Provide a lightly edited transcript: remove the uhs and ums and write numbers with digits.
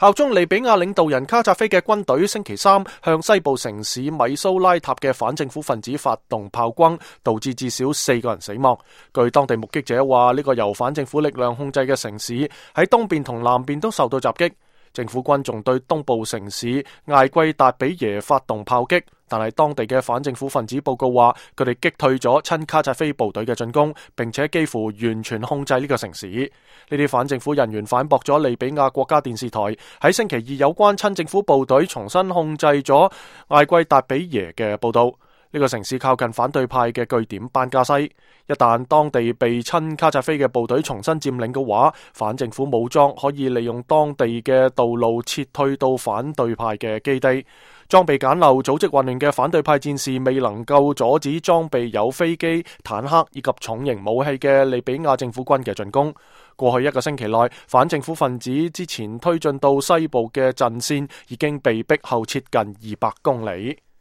效忠利比亞領導人卡扎菲嘅軍隊星期三向西部城市米蘇拉塔嘅反政府分子發動炮轟，導致至少4個人死亡。據當地目擊者話，呢個由反政府力量控制嘅城市喺東邊同南邊都受到襲擊。政府軍仲對東部城市艾季達比耶發動炮擊，但係當地嘅反政府分子報告話，佢哋擊退咗親卡扎菲部隊嘅進攻，並且幾乎完全控制呢個城市。呢啲反政府人員反駁咗利比亞國家電視台喺星期二有關親政府部隊重新控制咗艾季達比耶嘅報道。呢個城市靠近反對派嘅據點班加西，一旦當地被親卡扎菲嘅部隊重新佔領嘅話，反政府武裝可以利用當地嘅道路撤退到反對派嘅基地。裝備簡陋、組織混亂嘅反對派戰士未能夠阻止裝備有飛機、坦克以及重型武器嘅利比亞政府軍嘅進攻。過去1個星期內，反政府分子之前推進到西部嘅陣線已經被逼後撤近200公里。